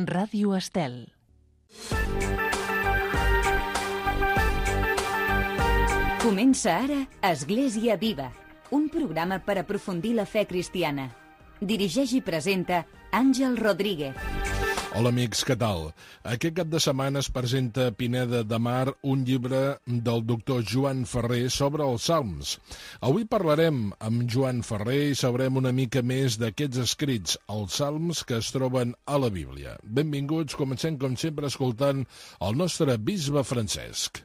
Ràdio Estel. Comença ara Església Viva, un programa per aprofundir la fe cristiana. Dirigeix i presenta Àngel Rodríguez. Hola amics, què tal? Aquest cap de setmana es presenta a Pineda de Mar un llibre del doctor Joan Ferrer sobre els Salms. Avui parlarem amb Joan Ferrer i sabrem una mica més d'aquests escrits, els Salms que es troben a la Bíblia. Benvinguts, comencem com sempre escoltant el nostre bisbe Francesc.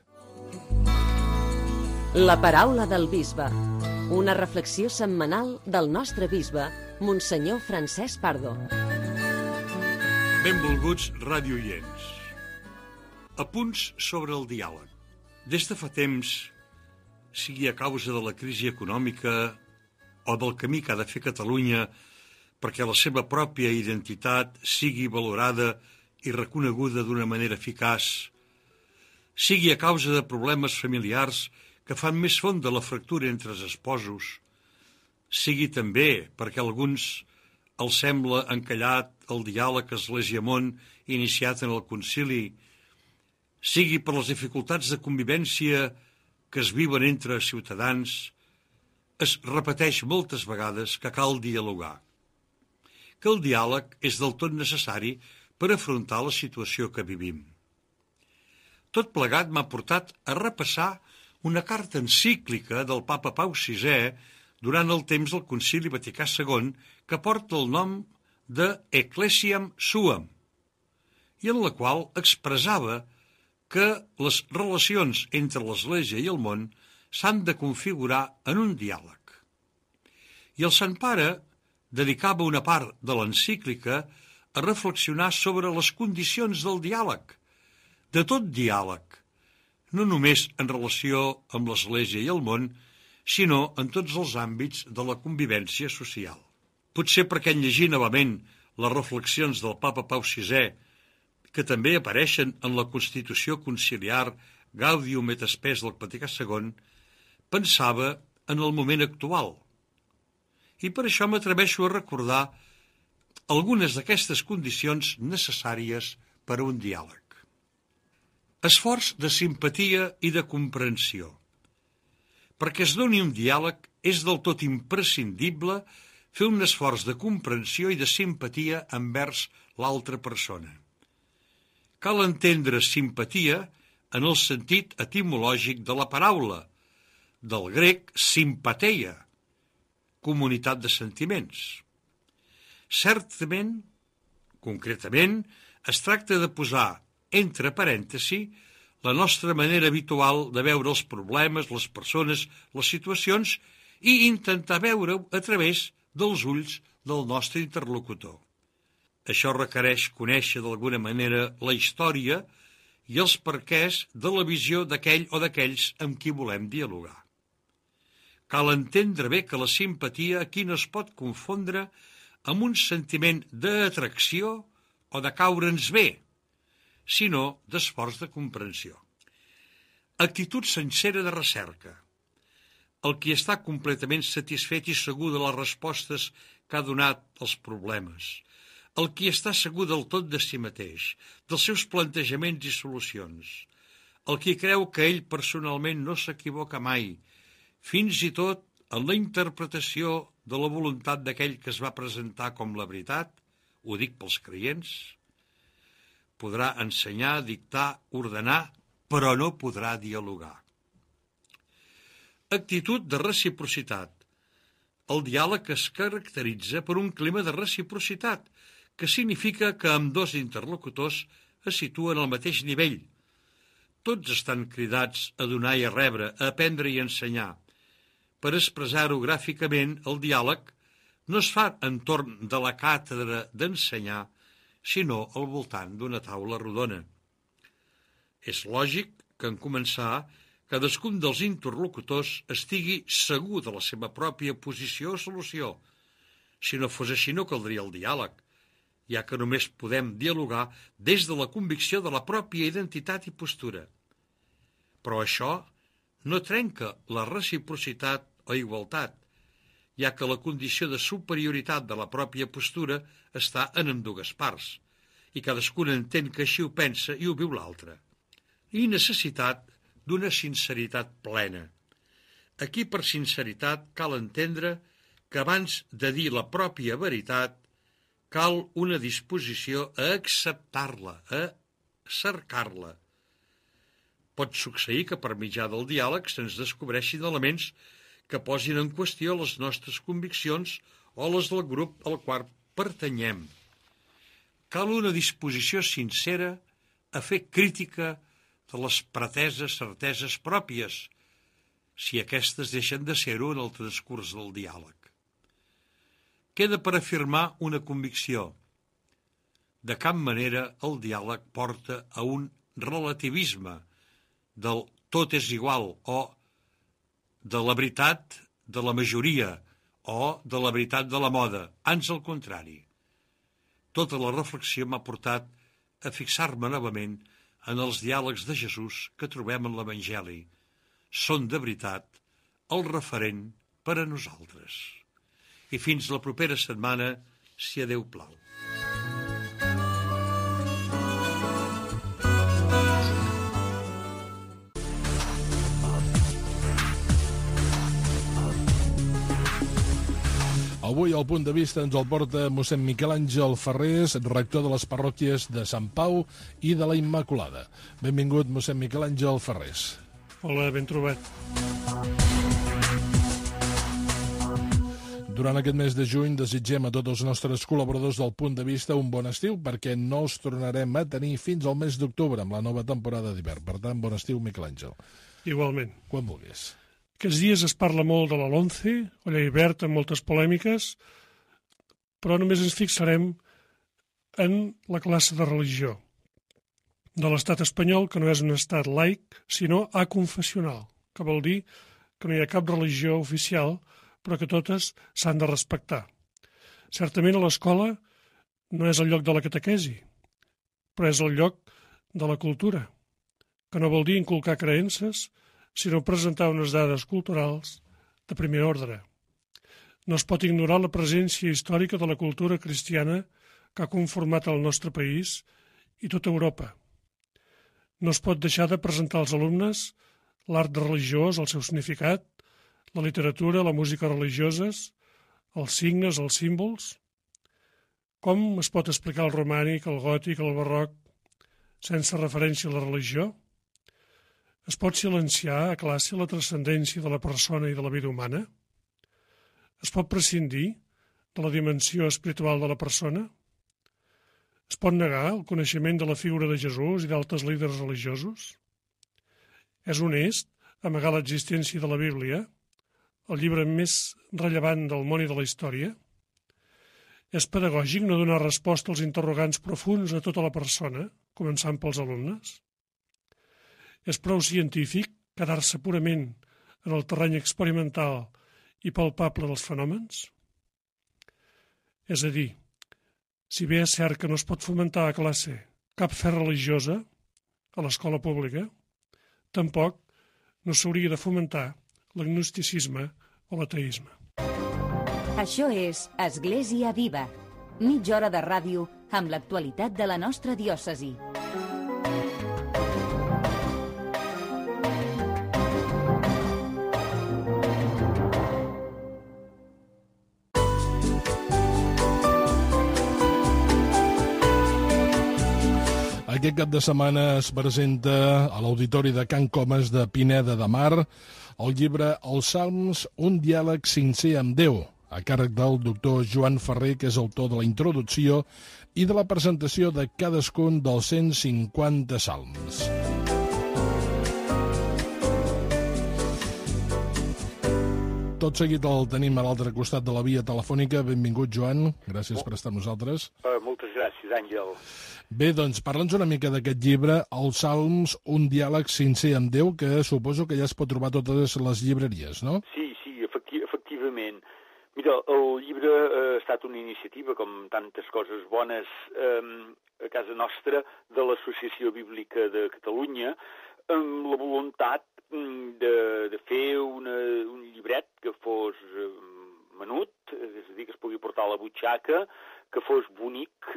La paraula del bisbe, una reflexió setmanal del nostre bisbe, Monsenyor Francesc Pardo. Benvolguts radioients. Apunts sobre el diàleg. Des de fa temps, sigui a causa de la crisi econòmica o del camí que ha de fer Catalunya perquè la seva pròpia identitat sigui valorada i reconeguda d'una manera eficaç, sigui a causa de problemes familiars que fan més fonda la fractura entre els esposos, sigui també perquè alguns els sembla encallat el diàleg Església-Món iniciat en el concili, sigui per les dificultats de convivència que es viuen entre ciutadans, es repeteix moltes vegades que cal dialogar, que el diàleg és del tot necessari per afrontar la situació que vivim. Tot plegat m'ha portat a repassar una carta encíclica del papa Pau VI durant el temps del Concili Vaticà II, que porta el nom de Ecclesiam Suam, i en la qual expressava que les relacions entre l'Església i el món s'han de configurar en un diàleg. I el Sant Pare dedicava una part de l'encíclica a reflexionar sobre les condicions del diàleg, de tot diàleg, no només en relació amb l'Església i el món, sinó en tots els àmbits de la convivència social. Potser perquè en llegir novament les reflexions del papa Pau VI, que també apareixen en la Constitució Conciliar Gaudium et Spes del Vaticà II, pensava en el moment actual. I per això m'atreveixo a recordar algunes d'aquestes condicions necessàries per a un diàleg. Esforç de simpatia i de comprensió. Perquè es doni un diàleg és del tot imprescindible fer un esforç de comprensió i de simpatia envers l'altra persona. Cal entendre simpatia en el sentit etimològic de la paraula, del grec simpateia, comunitat de sentiments. Certament, concretament, es tracta de posar entre parèntesi la nostra manera habitual de veure els problemes, les persones, les situacions i intentar veure-ho a través dels ulls del nostre interlocutor. Això requereix conèixer d'alguna manera la història i els perquès de la visió d'aquell o d'aquells amb qui volem dialogar. Cal entendre bé que la simpatia aquí no es pot confondre amb un sentiment d'atracció o de caure'ns bé, sinó d'esforç de comprensió. Actitud sincera de recerca. El qui està completament satisfet i segur de les respostes que ha donat als problemes. El qui està segur del tot de si mateix, dels seus plantejaments i solucions. El qui creu que ell personalment no s'equivoca mai, fins i tot en la interpretació de la voluntat d'aquell que es va presentar com la veritat, ho dic pels creients, podrà ensenyar, dictar, ordenar, però no podrà dialogar. Actitud de reciprocitat. El diàleg es caracteritza per un clima de reciprocitat, que significa que ambdós interlocutors es situen al mateix nivell. Tots estan cridats a donar i a rebre, a aprendre i a ensenyar. Per expressar-ho gràficament, el diàleg no es fa entorn de la càtedra d'ensenyar, sinó al voltant d'una taula rodona. És lògic que en començar, cadascun dels interlocutors estigui segur de la seva pròpia posició o solució. Si no fos així no caldria el diàleg, ja que només podem dialogar des de la convicció de la pròpia identitat i postura. Però això no trenca la reciprocitat o igualtat, ja que la condició de superioritat de la pròpia postura està en ambdues parts, i cadascun entén que així ho pensa i ho viu l'altre. I necessitat d'una sinceritat plena. Aquí, per sinceritat, cal entendre que abans de dir la pròpia veritat, cal una disposició a acceptar-la, a cercar-la. Pot succeir que per mitjà del diàleg se'ns descobreixin elements que posin en qüestió les nostres conviccions o les del grup al qual pertanyem. Cal una disposició sincera a fer crítica de les preteses certeses pròpies, si aquestes deixen de ser-ho en el transcurs del diàleg. Queda per afirmar una convicció. De cap manera el diàleg porta a un relativisme del tot és igual o de la veritat de la majoria o de la veritat de la moda, ans al contrari. Tota la reflexió m'ha portat a fixar-me novament en els diàlegs de Jesús que trobem en l'Evangeli. Són de veritat el referent per a nosaltres. I fins la propera setmana, si a Déu plau. Avui el punt de vista ens el porta mossèn Miquel Àngel Ferrés, rector de les parròquies de Sant Pau i de la Immaculada. Benvingut, mossèn Miquel Àngel Ferrés. Hola, ben trobat. Durant aquest mes de juny desitgem a tots els nostres col·laboradors del punt de vista un bon estiu, perquè no els tornarem a tenir fins al mes d'octubre amb la nova temporada d'hivern. Per tant, bon estiu, Miquel Àngel. Igualment. Quan vulguis. Aquests dies es parla molt de la LOMCE, o llei verd, amb moltes polèmiques, però només ens fixarem en la classe de religió de l'estat espanyol, que no és un estat laic, sinó aconfessional, que vol dir que no hi ha cap religió oficial, però que totes s'han de respectar. Certament a l'escola no és el lloc de la catequesi, però és el lloc de la cultura, que no vol dir inculcar creences, sinó presentar unes dades culturals de primer ordre. No es pot ignorar la presència històrica de la cultura cristiana que ha conformat el nostre país i tota Europa. No es pot deixar de presentar als alumnes l'art religiós, el seu significat, la literatura, la música religioses, els signes, els símbols. Com es pot explicar el romànic, el gòtic, el barroc, sense referència a la religió? Es pot silenciar a classe la transcendència de la persona i de la vida humana? Es pot prescindir de la dimensió espiritual de la persona? Es pot negar el coneixement de la figura de Jesús i d'altres líders religiosos? És honest amagar l'existència de la Bíblia, el llibre més rellevant del món i de la història? És pedagògic no donar resposta als interrogants profunds a tota la persona, començant pels alumnes? És prou científic quedar-se purament en el terreny experimental i palpable dels fenòmens? És a dir, si bé és cert que no es pot fomentar a classe cap fe religiosa a l'escola pública, tampoc no s'hauria de fomentar l'agnosticisme o l'ateisme. Això és Església Viva, mitja hora de ràdio amb l'actualitat de la nostra diòcesi. Aquest cap de setmana es presenta a l'Auditori de Can Comas de Pineda de Mar el llibre Els Salms, un diàleg sincer amb Déu, a càrrec del doctor Joan Ferrer, que és autor de la introducció i de la presentació de cadascun dels 150 salms. Tot seguit el tenim a l'altre costat de la via telefònica. Benvingut, Joan. Gràcies per estar amb nosaltres. Moltes gràcies, Àngel. Bé, doncs, parla'ns una mica d'aquest llibre, Els Salms, un diàleg sincer amb Déu, que suposo que ja es pot trobar a totes les llibreries, no? Sí, efectivament. Mira, el llibre ha estat una iniciativa, com tantes coses bones a casa nostra, de l'Associació Bíblica de Catalunya, amb la voluntat de fer un llibret que fos menut, és a dir, que es pugui portar a la butxaca, que fos bonic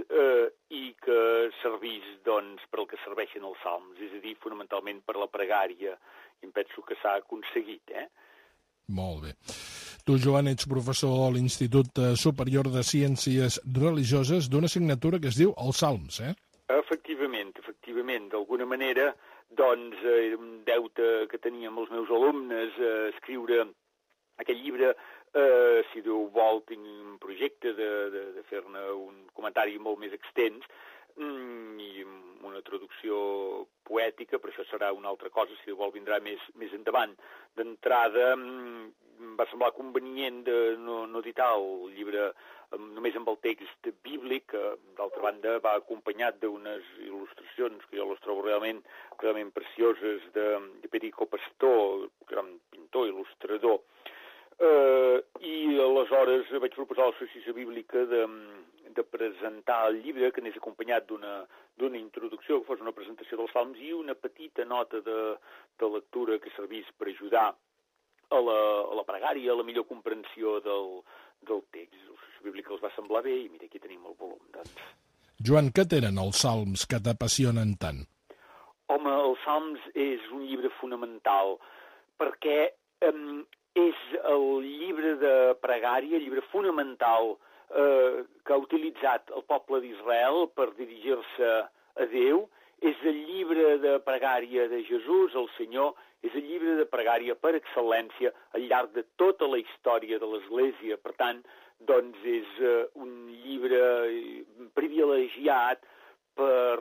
i que servís, doncs, per al que serveixen els salms, és a dir, fonamentalment per la pregària, i em penso que s'ha aconseguit, Molt bé. Tu, Joan, ets professor a l'Institut Superior de Ciències Religioses d'una assignatura que es diu els Salms, Efectivament. D'alguna manera, doncs, era un deute que tenia amb els meus alumnes escriure aquest llibre. Si Déu vol, tinc un projecte de fer-ne un comentari molt més extens i amb una traducció poètica, però això serà una altra cosa, si Déu vol vindrà més endavant. D'entrada, em va semblar convenient de no editar el llibre només amb el text bíblic, que d'altra banda va acompanyat d'unes il·lustracions que jo les trobo realment precioses de Perico Pastor, gran pintor, il·lustrador. I aleshores vaig proposar a l'Associació Bíblica de presentar el llibre, que anés acompanyat d'una introducció, que fos una presentació dels salms i una petita nota de lectura que servís per ajudar a la pregària, a la millor comprensió del text. L'Associació Bíblica els va semblar bé i mira, aquí tenim el volum, doncs. Joan, què tenen els salms que t'apassionen tant? Home, els salms és un llibre fonamental perquè és el llibre de pregària, el llibre fonamental que ha utilitzat el poble d'Israel per dirigir-se a Déu, és el llibre de pregària de Jesús, el Senyor, és el llibre de pregària per excel·lència al llarg de tota la història de l'Església. Per tant, doncs és un llibre privilegiat per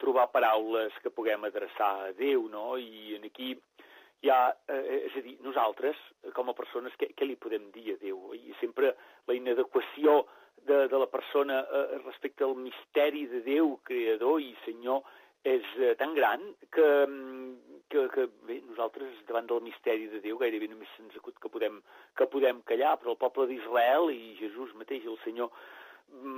trobar paraules que puguem adreçar a Déu, no? I aquí hi ha, és a dir, nosaltres, com a persones, què li podem dir a Déu? I sempre la inadequació de la persona respecte al misteri de Déu, creador i Senyor, és tan gran que bé, nosaltres, davant del misteri de Déu, gairebé només se'ns acut que podem callar, però el poble d'Israel i Jesús mateix, el Senyor,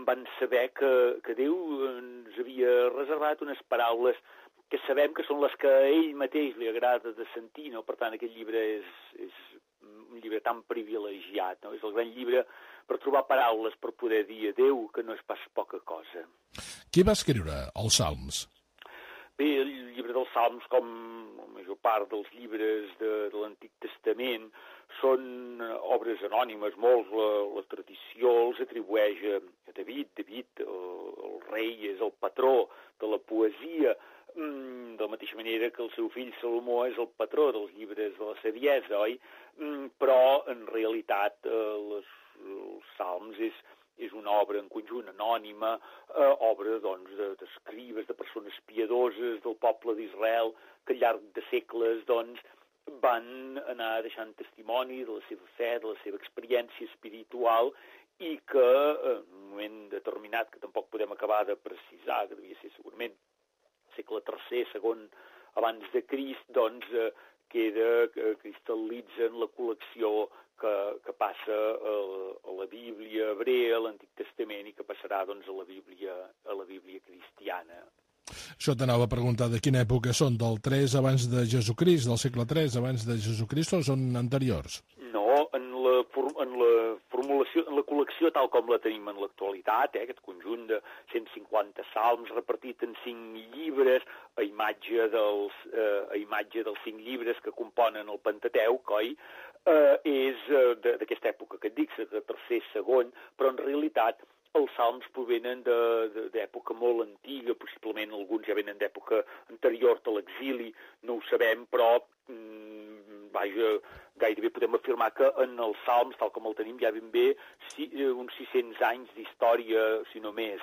van saber que Déu ens havia reservat unes paraules que sabem que són les que a ell mateix li agrada de sentir, no? Per tant, aquest llibre és un llibre tan privilegiat, no? És el gran llibre per trobar paraules, per poder dir a Déu que no és pas poca cosa. Qui va escriure els Salms? Bé, el llibre dels Salms, com la major part dels llibres de l'Antic Testament, són obres anònimes, molts. La tradició els atribueix a David. David, el rei, és el patró de la poesia, de la mateixa manera que el seu fill Salomó és el patró dels llibres de la saviesa, oi? Però, en realitat, els Salms és una obra en conjunt anònima, obra doncs, d'escribes, de persones piadoses del poble d'Israel, que al llarg de segles doncs, van anar deixant testimoni de la seva fe, de la seva experiència espiritual, i que en un moment determinat, que tampoc podem acabar de precisar, que devia ser segurament segle III, segon abans de Crist, doncs cristal·litza en la col·lecció que passa a la Bíblia hebrea, a l'Antic Testament, i que passarà doncs, a la Bíblia cristiana. Això t'anava a preguntar de quina època són, del 3 abans de Jesucrist, del segle 3 abans de Jesucrist, o són anteriors? No, en la formulació, en la col·lecció tal com la tenim en l'actualitat, aquest conjunt de 150 salms repartit en 5 llibres, a imatge dels 5 llibres que componen el Pentateuc, oi? És d'aquesta època que et dic, de tercer, segon, però en realitat els salms provenen d'època molt antiga, possiblement alguns ja venen d'època anterior a l'exili, no ho sabem, però gairebé podem afirmar que en els salms, tal com el tenim, ja ben bé uns 600 anys d'història, si no més,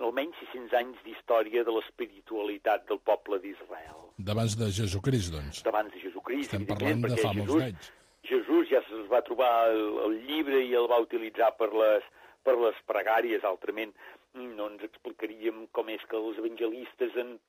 almenys 600 anys d'història de l'espiritualitat del poble d'Israel. D'abans de Jesucrist, doncs. D'abans de Jesucrist, estem parlant de fa molts anys. Jesús ja es va trobar el llibre i el va utilitzar per les pregàries. Altrament no ens explicaríem com és que els evangelistes en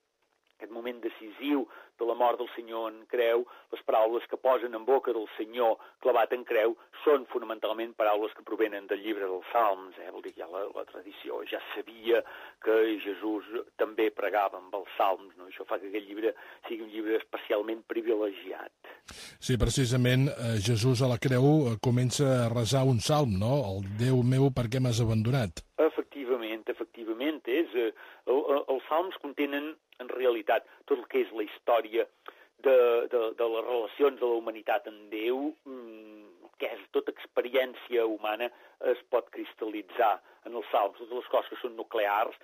aquest moment decisiu de la mort del Senyor en creu, les paraules que posen en boca del Senyor clavat en creu són fonamentalment paraules que provenen del llibre dels Salms. Vol dir que ja la tradició ja sabia que Jesús també pregava amb els Salms, no? Això fa que aquest llibre sigui un llibre especialment privilegiat. Sí, precisament Jesús a la creu comença a resar un salm, no? El Déu meu, per què m'has abandonat? Efectivament. Els salms contenen, en realitat, tot el que és la història de les relacions de la humanitat amb Déu, que és tota experiència humana, es pot cristal·litzar en els salms. Totes les coses que són nuclears,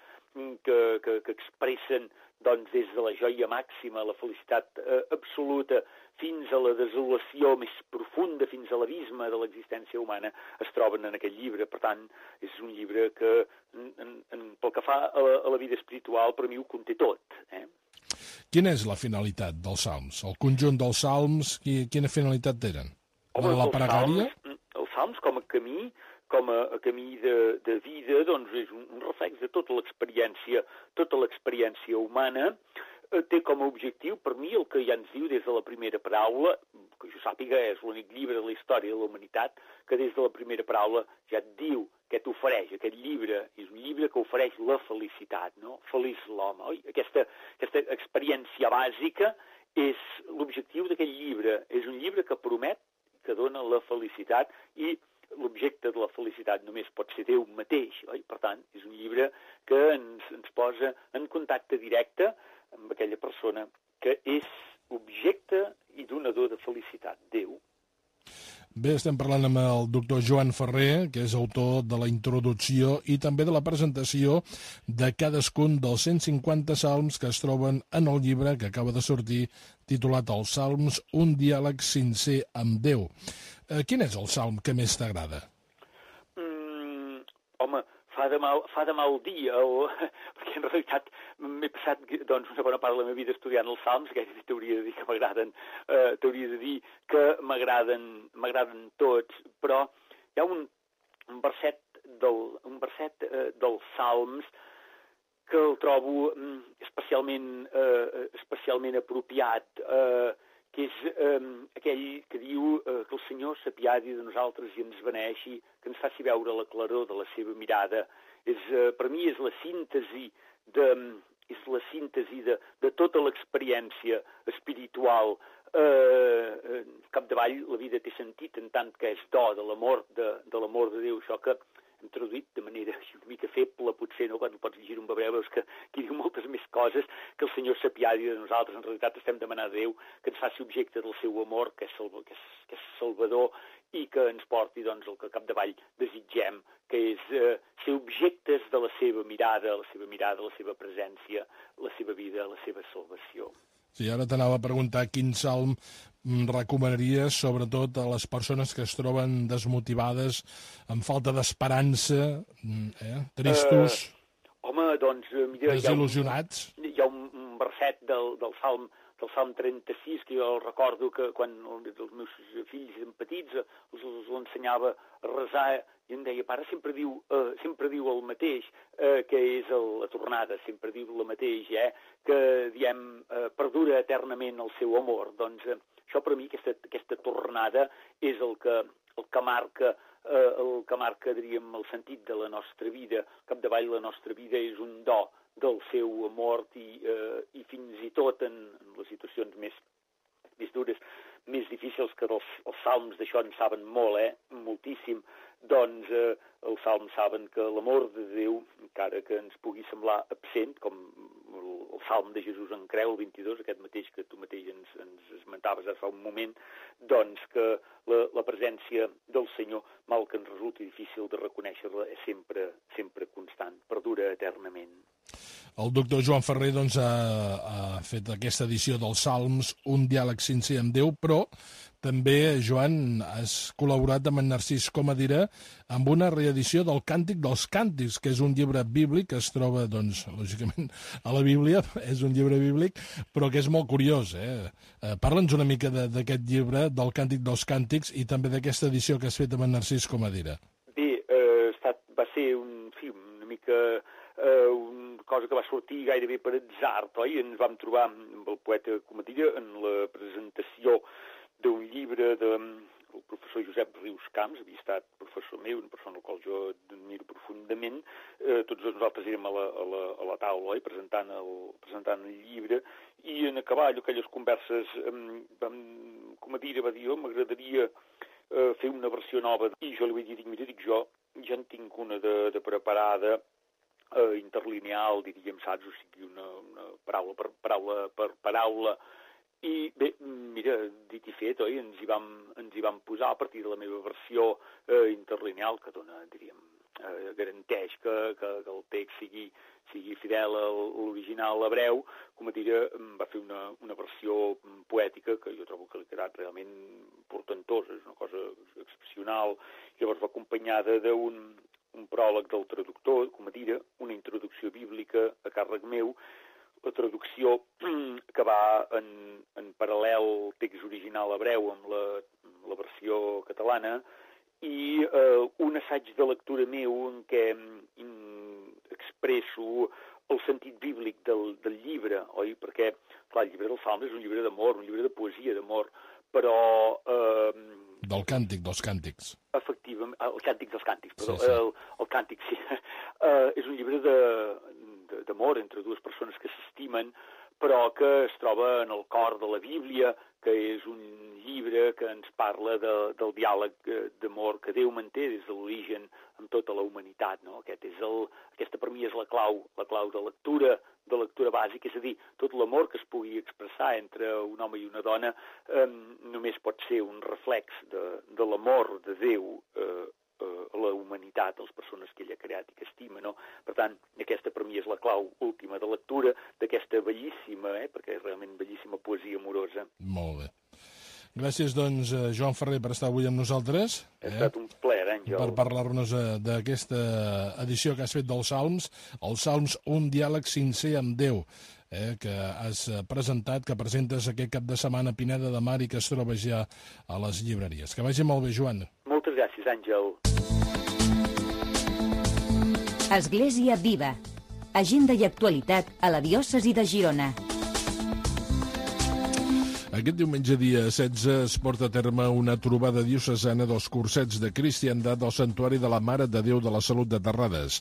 que expressen doncs, des de la joia màxima, la felicitat absoluta, fins a la desolació més profunda, fins a l'abisme de l'existència humana, es troben en aquest llibre. Per tant, és un llibre que, pel que fa a la vida espiritual, per mi ho conté tot. Quina és la finalitat dels salms? El conjunt dels salms, quina finalitat tenen? La pregària? Els salms, com a camí de vida, doncs és un reflex de tota l'experiència humana. Té com a objectiu, per mi, el que ja ens diu des de la primera paraula, que jo sàpiga és l'únic llibre de la història de la humanitat, que des de la primera paraula ja et diu què t'ofereix. Aquest llibre és un llibre que ofereix la felicitat, no? Feliç l'home, oi? Aquesta experiència bàsica és l'objectiu d'aquest llibre. És un llibre que promet, que dona la felicitat, i l'objecte de la felicitat només pot ser Déu mateix, oi? Per tant, és un llibre que ens posa en contacte directe amb aquella persona que és objecte i donador de felicitat, Déu. Bé, estem parlant amb el doctor Joan Ferrer, que és autor de la introducció i també de la presentació de cadascun dels 150 salms que es troben en el llibre que acaba de sortir, titulat Els Salms, un diàleg sincer amb Déu. Quin és el salm que més t'agrada? Home, fa de mal dia, perquè en realitat m'he passat doncs, una bona part de la meva vida estudiant els salms, gairebé t'hauria de dir que m'agraden tots, però hi ha un verset dels salms que el trobo especialment apropiat, que és aquell que diu que el Senyor s'apiadi de nosaltres i ens beneixi, que ens faci veure la claror de la seva mirada. Per mi és la síntesi de tota l'experiència espiritual. Capdavall, la vida té sentit en tant que és do de l'amor de Déu, això que hem traduït de manera una mica feble, potser, no? Quan pots llegir un hebreu veus que aquí diu moltes més coses, que el Senyor s'apiadi de nosaltres. En realitat estem demanant a Déu que ens faci objecte del seu amor, que és salvador, i que ens porti doncs, el que capdavall desitgem, que és ser objectes de la seva mirada, la seva presència, la seva vida, la seva salvació. Sí, ara t'anava a preguntar quin salm recomanaries, sobretot a les persones que es troben desmotivades, amb falta d'esperança, tristos, desil·lusionats? Hi ha un verset del Salm 36, que jo recordo que quan els meus fills eren petits els ensenyava a resar i em deia, pare, sempre diu el mateix, que és la tornada, sempre diu el mateix, que diem, perdura eternament el seu amor. Doncs això per mi, aquesta tornada, és el que marca, diríem, el sentit de la nostra vida. Capdavall, la nostra vida és un do del seu amor i fins i tot en les situacions més dures, més difícils, que els salms d'això en saben molt, moltíssim, doncs els salms saben que l'amor de Déu, encara que ens pugui semblar absent, com el salm de Jesús en creu, el 22, aquest mateix que tu mateix ens esmentaves ara fa un moment, doncs que la presència del Senyor, mal que ens resulti difícil de reconèixer-la, és sempre constant, perdura eternament. El doctor Joan Ferrer doncs, ha fet aquesta edició dels Salms, un diàleg sincer amb Déu, però també, Joan, has col·laborat amb en Narcís Comadira amb una reedició del Càntic dels Càntics, que és un llibre bíblic que es troba, doncs, lògicament, a la Bíblia, és un llibre bíblic, però que és molt curiós. Parla'ns una mica d'aquest llibre, del Càntic dels Càntics, i també d'aquesta edició que has fet amb en Narcís Comadira. Bé, va ser un film una mica cosa que va sortir gairebé per atzar, oi? Ens vam trobar amb el poeta Comadira en la presentació d'un llibre del professor Josep Rius Camps, havia estat professor meu, una persona al qual jo admiro profundament. Tots nosaltres érem a la taula, oi? presentant el llibre, i en acabar aquelles converses, Comadira va dir, m'agradaria fer una versió nova, i jo li vaig dir, mira, jo ja en tinc una de preparada, interlineal, diríem, saps? O sigui, una paraula per paraula. I bé, mira, dit i fet, oi? Ens hi vam posar a partir de la meva versió interlineal, que dona, diríem, garanteix que el text sigui fidel a l'original hebreu. Com a dir, va fer una versió poètica que jo trobo que li ha quedat realment portentosa, és una cosa excepcional. Llavors va acompanyada d'un pròleg del traductor, com a dir, una introducció bíblica a càrrec meu, la traducció que va en paral·lel al text original hebreu amb la versió catalana, i un assaig de lectura meu en què expresso el sentit bíblic del llibre, oi? Perquè, clar, el llibre dels Salms és un llibre d'amor, un llibre de poesia d'amor, però... Del càntic, dels càntics. Efectivament, el càntic dels càntics, perdó, sí. el càntic, sí. És un llibre d'amor entre dues persones que s'estimen, però que es troba en el cor de la Bíblia, que és un llibre que ens parla del diàleg d'amor que Déu manté des de l'origen amb tota la humanitat, no? Aquesta per mi és la clau de lectura bàsica, és a dir, tot l'amor que es pugui expressar entre un home i una dona només pot ser un reflex de l'amor de Déu a la humanitat, a les persones que ell ha creat i que estima, no? Per tant, aquesta per mi és la clau última de lectura d'aquesta bellíssima, perquè és realment bellíssima poesia amorosa. Molt bé. Gràcies, doncs, Joan Ferrer, per estar avui amb nosaltres. Ha estat un plaer, Àngel. Per parlar-nos d'aquesta edició que has fet dels Salms, els Salms, un diàleg sincer amb Déu, que has presentat, que presentes aquest cap de setmana a Pineda de Mar i que es troba ja a les llibreries. Que vagi molt bé, Joan. Moltes gràcies, Àngel. Església Viva. Agenda i actualitat a la diòcesi de Girona. Aquest diumenge, dia 16, es porta a terme una trobada diocesana dels cursets de cristiandat del Santuari de la Mare de Déu de la Salut de Terrades.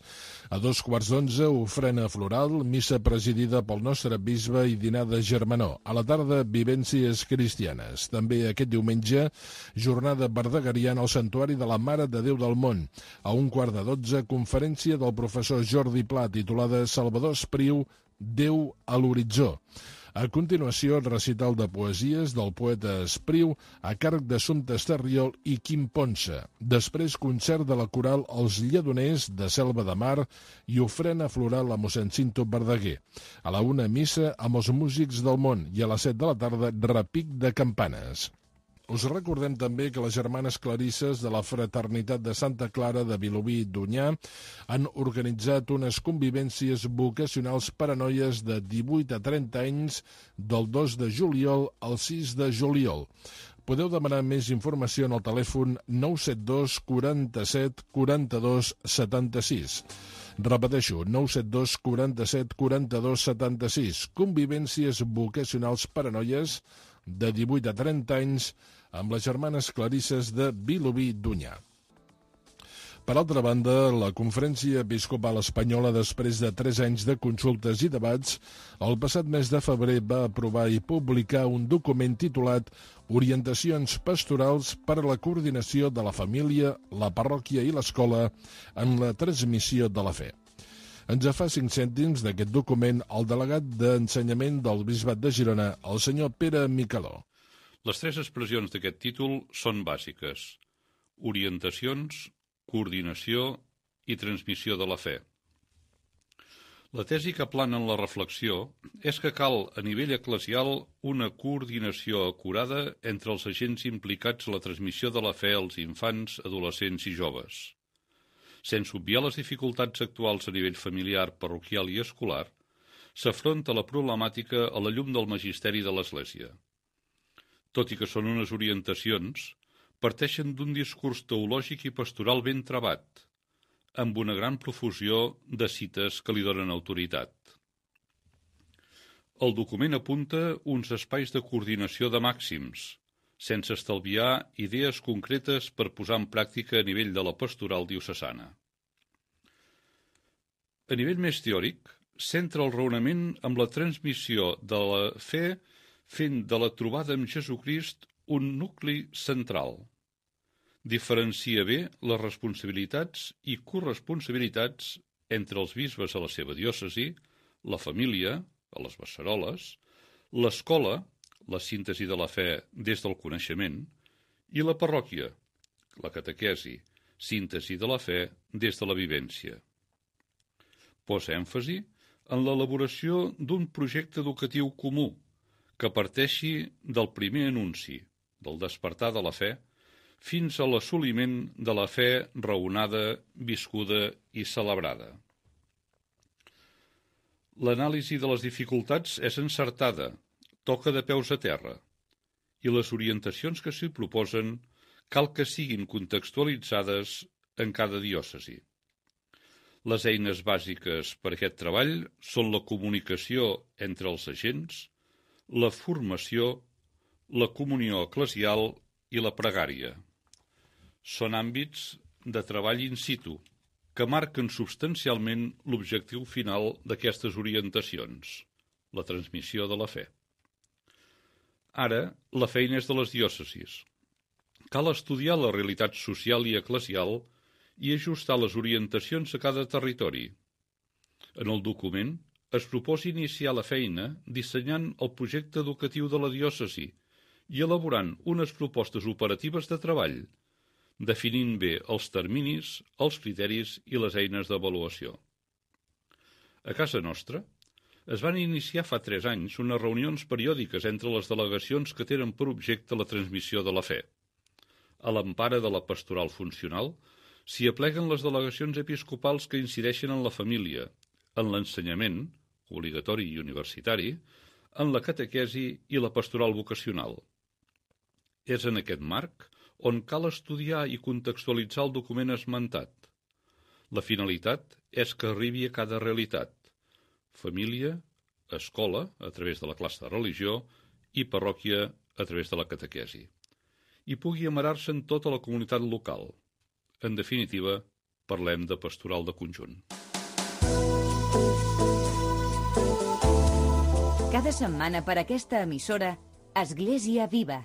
A 11:15, ofrena floral, missa presidida pel nostre bisbe i dinar de germanor. A la tarda, vivències cristianes. També aquest diumenge, jornada verdegariana al Santuari de la Mare de Déu del Món. A 11:15, conferència del professor Jordi Pla, titulada Salvador Espriu, Déu a l'horitzó. A continuació, el recital de poesies del poeta Espriu a càrrec d'Assumpta Estarriol i Quim Ponsa. Després, concert de la coral Els Lledoners de Selva de Mar i ofrena floral a mossèn Cinto Verdaguer. A la 1, missa amb els músics del món i a les 7 de la tarda, repic de campanes. Us recordem també que les germanes clarisses de la Fraternitat de Santa Clara de Vilobí i d'Onyar han organitzat unes convivències vocacionals per a noies de 18 a 30 anys del 2 de juliol al 6 de juliol. Podeu demanar més informació en el telèfon 972 47 42 76. Repeteixo, 972 47 42 76. Convivències vocacionals per a noies de 18 a 30 anys amb les germanes clarisses de Vilobí d'Onyar. Per altra banda, la Conferència Episcopal Espanyola, després de 3 anys de consultes i debats, el passat mes de febrer va aprovar i publicar un document titulat Orientacions pastorals per a la coordinació de la família, la parròquia i l'escola en la transmissió de la fe. Ens fa 5 cèntims d'aquest document el delegat d'Ensenyament del Bisbat de Girona, el senyor Pere Micaló. Les 3 expressions d'aquest títol són bàsiques: orientacions, coordinació i transmissió de la fe. La tesi que plana en la reflexió és que cal, a nivell eclesial, una coordinació acurada entre els agents implicats en la transmissió de la fe als infants, adolescents i joves. Sense obviar les dificultats actuals a nivell familiar, parroquial i escolar, s'afronta la problemàtica a la llum del magisteri de l'Església. Tot i que són unes orientacions, parteixen d'un discurs teològic i pastoral ben travat, amb una gran profusió de cites que li donen autoritat. El document apunta uns espais de coordinació de màxims, sense estalviar idees concretes per posar en pràctica a nivell de la pastoral diocesana. A nivell més teòric, centra el raonament amb la transmissió de la fe fent de la trobada amb Jesucrist un nucli central. Diferencia bé les responsabilitats i corresponsabilitats entre els bisbes a la seva diòcesi, la família, a les beceroles, l'escola, la síntesi de la fe des del coneixement, i la parròquia, la catequesi, síntesi de la fe des de la vivència. Posa èmfasi en l'elaboració d'un projecte educatiu comú que parteixi del primer anunci, del despertar de la fe, fins a l'assoliment de la fe raonada, viscuda i celebrada. L'anàlisi de les dificultats és encertada, toca de peus a terra, i les orientacions que s'hi proposen cal que siguin contextualitzades en cada diòcesi. Les eines bàsiques per a aquest treball són la comunicació entre els agents, la formació, la comunió eclesial i la pregària. Són àmbits de treball in situ, que marquen substancialment l'objectiu final d'aquestes orientacions, la transmissió de la fe. Ara, la feina és de les diòcesis. Cal estudiar la realitat social i eclesial i ajustar les orientacions a cada territori. En el document es proposa iniciar la feina dissenyant el projecte educatiu de la diòcesi i elaborant unes propostes operatives de treball, definint bé els terminis, els criteris i les eines d'avaluació. A casa nostra, es van iniciar fa 3 anys unes reunions periòdiques entre les delegacions que tenen per objecte la transmissió de la fe. A l'empara de la pastoral funcional s'hi apleguen les delegacions episcopals que incideixen en la família, en l'ensenyament, obligatori i universitari, en la catequesi i la pastoral vocacional. És en aquest marc on cal estudiar i contextualitzar el document esmentat. La finalitat és que arribi a cada realitat: família, escola, a través de la classe de religió, i parròquia, a través de la catequesi. I pugui amarar-se en tota la comunitat local. En definitiva, parlem de pastoral de conjunt. Cada setmana per aquesta emissora, Església Viva.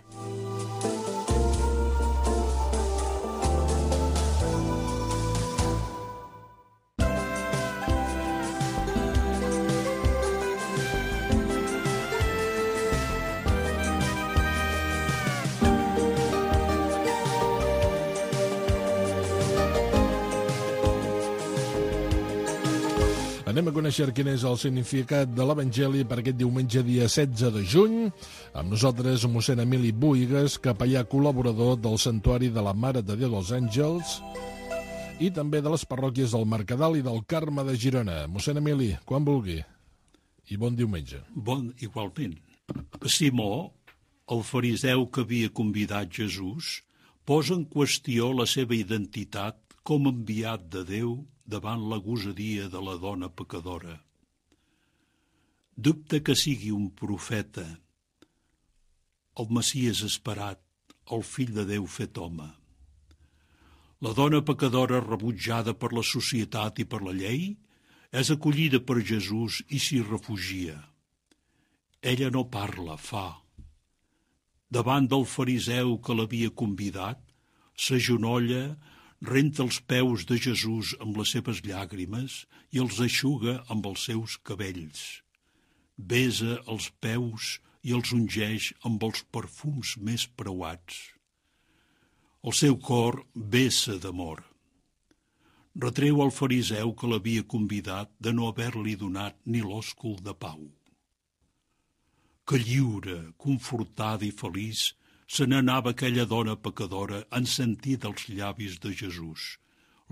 Anem a conèixer quin és el significat de l'Evangeli per aquest diumenge, dia 16 de juny. Amb nosaltres, mossèn Emili Buigas, capellà col·laborador del Santuari de la Mare de Déu dels Àngels i també de les parròquies del Mercadal i del Carme de Girona. Mossèn Emili, quan vulgui. I bon diumenge. Igualment. Simó, el fariseu que havia convidat Jesús, posa en qüestió la seva identitat com enviat de Déu davant la gosadia de la dona pecadora. Dubta que sigui un profeta, el Messies esperat, el fill de Déu fet home. La dona pecadora, rebutjada per la societat i per la llei, és acollida per Jesús i s'hi refugia. Ella no parla, fa. Davant del fariseu que l'havia convidat, s'agenolla, renta els peus de Jesús amb les seves llàgrimes i els eixuga amb els seus cabells. Besa els peus i els ungeix amb els perfums més preuats. El seu cor vessa d'amor. Retreu al fariseu que l'havia convidat de no haver-li donat ni l'òscul de pau. Que lliure, confortada i feliç, se n'anava aquella dona pecadora en sentir dels llavis de Jesús.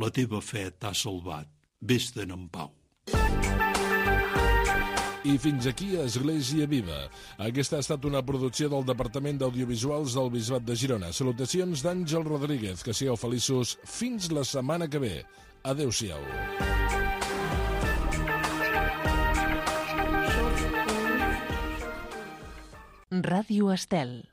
La teva fe t'ha salvat, vés-te'n en pau. I fins aquí Església Viva. Aquesta ha estat una producció del Departament d'Audiovisuals del Bisbat de Girona. Salutacions d'Àngel Rodríguez. Que sigueu feliços fins la setmana que ve. Adéu-siau. Ràdio Estel.